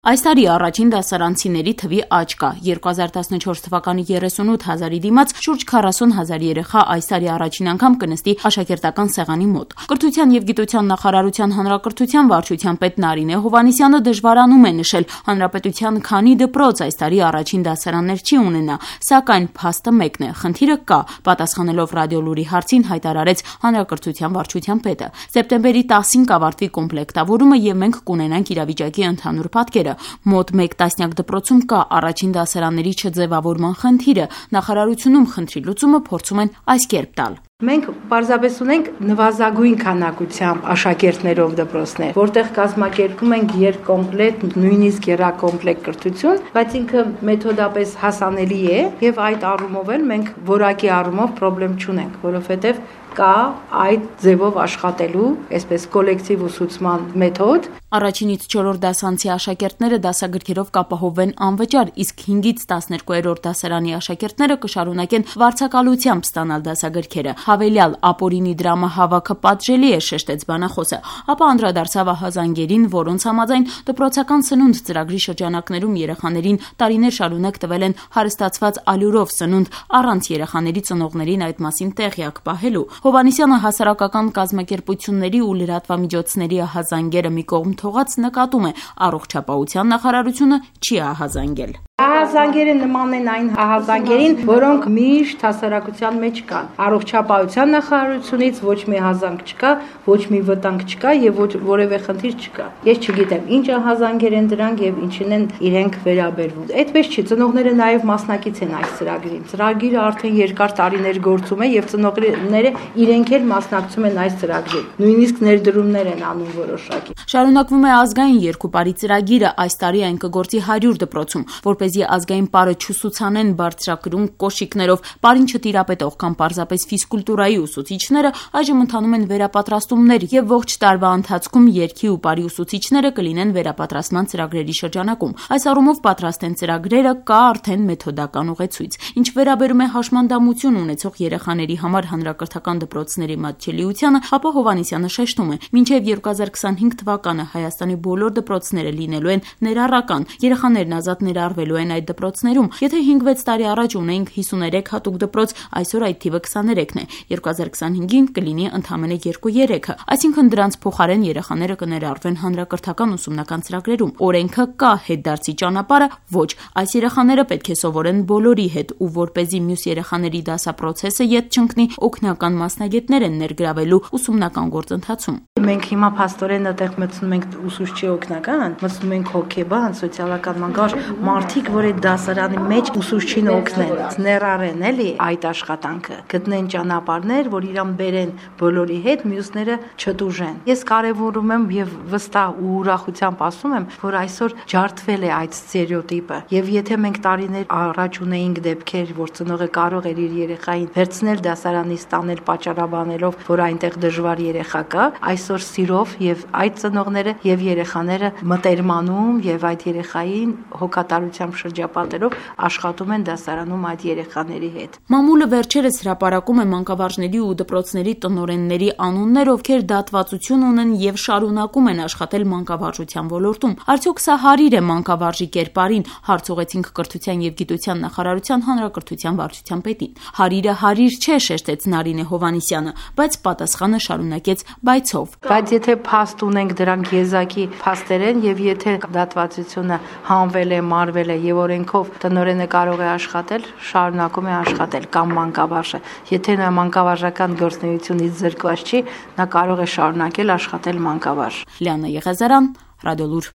Այս տարի առաջին դասարանցիների թվի աճ կա: 2014 թվականի 38,000-ի դիմաց շուրջ 40,000 երեխա այս տարի առաջին անգամ կնստի աշակերտական սեղանի մոտ: Կրթության և գիտության նախարարության հանրակրթության վարչության պետ Նարինե Հովհաննիսյանը դժվարանում է նշել հանրապետության քանի դպրոց այս տարի առաջին դասարաններ չի ունենա, սակայն փաստը մեկն է՝ խնդիրը կա, պատասխանելով Ռադիոլուրի հարցին հայտարարեց հանրակրթության վարչության պետը: Սեպտեմբերի 10-ին կավարտվի կոմպլեկտավորումը և մենք կունենանք իրավիճակի ընդհանուր պատկերը: Մոտ մեկ տասնյակ դպրոցում կա առաջին դասարանների չձևավորման խնդիրը: Նախարարությունում խնդրի լուծումը փորձում են այս կերպ տալ: Մենք պարզապես ունենք նվազագույն քանակությամբ աշակերտներով դպրոցներ, որտեղ կազմակերպում ենք երկկոմպլեկտ, նույնիսկ եռակոմպլեկտ կրթություն, բայց ինքը մեթոդապես հասանելի է եւ այդ առումով էլ մենք որակի առումով խնդրեմ չունենք, որովհետեւ կա այդ ձևով աշխատելու, այսպես կոլեկտիվ ուսուցման մեթոդ: Առաջինից 4-րդ դասանցի աշակերտները դասագրքերով կապահովվեն անվճար, իսկ 5-ից 12-րդ դասարանի աշակերտները կշարունակեն վարձակալությամբ ստանալ դասագրքերը: Հավելյալ ապօրինի դրամահավաքը պատժելի է, շեշտեց բանախոսը, ապա անդրադարձավ ահազանգերին, որոնց համաձայն դպրոցական սնունդ ծրագրի շրջանակներում երեխաներին տարիներ շարունակ տվել են հարստացված ալյուրով սնունդ առանց երեխաների ծնողներին այդ մասին տեղյակ պահելու: Հովհաննիսյանը հասարակական կազմակերպությունների ու լրատվամիջոցների ահազանգերը մի կողմ թողած նկատում է՝ առողջապահության նախարարությունը չի ահազանգել: Ահազանգերը նման են այն ահազանգերին, որոնք միշտ հասարակության մեջ կան: Առողջապահության նախարարությունից ոչ մի ահազանգ չկա, ոչ մի վտանգ չկա եւ որևէ խնդիր չկա: Ես չգիտեմ ինչ ահազանգեր են դրանք եւ ինչին են իրենք վերաբերվում: Այդպես չի, ծնողները նաեւ մասնակից են այս ծրագրին: Ծրագիրը արդեն երկար տարիներ գործում է եւ ծնողները իրենք էլ մասնակցում են այս ծրագրին, նույնիսկ ներդրումներ են անում որոշակի: Շարունակվում է ազգային երկու պարի ծրագիրը: Այս տարի այն կգործի 100 դպրոցում: Որպեսզի ազգային պարը չուսուցանեն բարձրակրուն կոշիկներով պարին չտիրապետող կամ պարզապես ֆիզկուլտուրայի ուսուցիչները, այժմ ընթանում են վերապատրաստումներ եւ ողջ տարվա ընթացքում երգի ու պարի ուսուցիչները կլինեն վերապատրաստման ծրագրերի շրջանակում: Այս առումով պատրաստ են ծրագրերը, կա արդեն մեթոդական ուղեցույց: Ինչ վերաբերում է հաշմանդամություն ունեցող երեխաների համար հանրակրթական դպրոցների մատչելիությանը, ապա Հովհաննիսյանը շեշտում է՝ մինչեւ 2025 թվականը Հայաստանի բոլոր դպրոցները լինելու են ներառական, երեխաներն ազատ ներառվելու են այդ դպրոցներում: Եթե 5-6 տարի առաջ ունեինք 53 հատուկ դպրոց, այսօր այդ թիվը 23 է, 2025-ին կլինի ընդամենը 2-3-ը, այսինքն դրանց փոխարեն երեխաները կներառվեն հանրակրթական ուսումնական ծրագրերում: Օրենքը կա, հետդարձի ճանապարհը՝ ոչ: Այս երեխաները պետք է սովորեն բոլորի հետ ու որպեսզի մյուս երեխաների դասապրոցեսը ետ չընկնի, օգնական մասնագետներ են ներգրավելու ուսումնական գործընթացում: Մենք հիմա փաստորեն այդտեղ մտցնում ենք ուսուցչի օգնական, մտցնում ենք հոգեբան, սոցիալական մանկավարժ, մարդիկ, որ այդ դասարանի մեջ ուսուցչին օգնեն, ներառեն էլի այդ աշխատանքը, գտնեն ճանապարհներ, որ իրան բերեն բոլորի հետ, մյուսները չտուժեն: Ես կարևորում եմ եւ վստահ ու ուրախությամբ ասում եմ, որ այսօր ջարդվել է այդ ստերեոտիպը եւ եթե մենք տարիներ առաջ ունեինք դեպքեր, որ ծնողը կարող էր իր երեխային վերցնել դասարանից տանել պատճառաբանելով, որ այնտեղ դժվար երեխա կա, այսօր սիրով եւ այդ ծնողները եւ երեխաները մտերմանում եւ այդ երեխային հոգատարությամբ շրջապատելով աշխատում են դասարանում այդ երեխաների հետ: Մամուլը վերջերս հրապարակում է մանկավարժների ու դպրոցների տնօրենների անուններ, ովքեր դատվածություն ունեն եւ շարունակում են աշխատել մանկավարժության ոլորտում: Արդյոք սա հարիր է մանկավարժի կերպարին, հարց ուղղեցինք Կրթության եւ գիտության նախարարության հանրակրթության վարչության պետին: Հարիրը հարիր չէ, շեշտեց Նարինե Հովհաննիսյանը, բայց պատասխանը շարունակեց բայցով: Բայց եթե փաստ ունենք, դրանք եզակի փաստեր են եւ եթե դատվածությունը հանվել է, մարվել է եւ օրենքով տնօրենը կարող է աշխատել, շարունակում է աշխատել կամ մանկավարժը: Եթե նա մանկավարժական գործունեությունից զրկված չի, նա կարող է շարունակել աշխատել մանկավարժ: Լիաննա Եղիազարյան, Ռադիոլուր։